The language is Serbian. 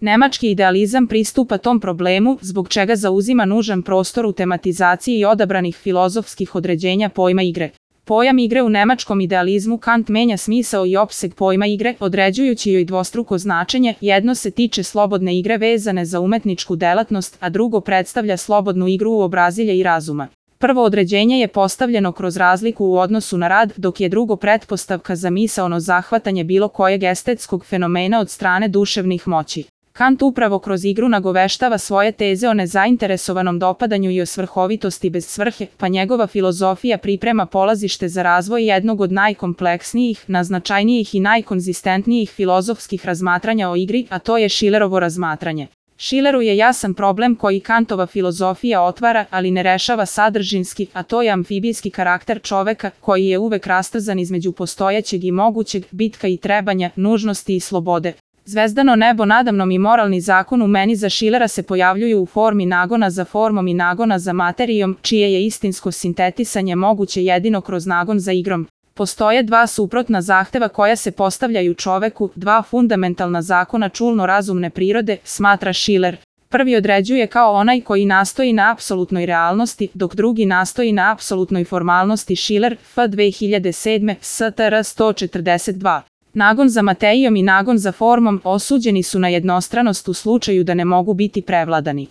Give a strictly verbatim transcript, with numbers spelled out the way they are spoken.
Nemački idealizam pristupa tom problemu, zbog čega zauzima nužan prostor u tematizaciji odabranih filozofskih određenja pojma igre. Pojam igre u nemačkom idealizmu Kant menja smisao i opseg pojma igre, određujući joj dvostruko značenje, jedno se tiče slobodne igre vezane za umetničku delatnost, a drugo predstavlja slobodnu igru uobrazilja i razuma. Prvo određenje je postavljeno kroz razliku u odnosu na rad, dok je drugo pretpostavka za misaono zahvatanje bilo kojeg estetskog fenomena od strane duševnih moći. Kant upravo kroz igru nagoveštava svoje teze o nezainteresovanom dopadanju i o svrhovitosti bez svrhe, pa njegova filozofija priprema polazište za razvoj jednog od najkompleksnijih, najznačajnijih i najkonzistentnijih filozofskih razmatranja o igri, a to je Schillerovo razmatranje. Schilleru je jasan problem koji Kantova filozofija otvara, ali ne rešava sadržinski, a to je amfibijski karakter čoveka, koji je uvek rastrzan između postojećeg i mogućeg, bitka i trebanja, nužnosti i slobode. Zvezdano nebo nadamnom i moralni zakon u meni za Schillera se pojavljuju u formi nagona za formom i nagona za materijom, čije je istinsko sintetisanje moguće jedino kroz nagon za igrom. Postoje dva suprotna zahteva koja se postavljaju čoveku, dva fundamentalna zakona čulno-razumne prirode, smatra Schiller. Prvi određuje kao onaj koji nastoji na apsolutnoj realnosti, dok drugi nastoji na apsolutnoj formalnosti. Schiller, F dve hiljade sedme, S T R sto četrdeset dva. Nagon za materijom i nagon za formom osuđeni su na jednostranost u slučaju da ne mogu biti prevladani.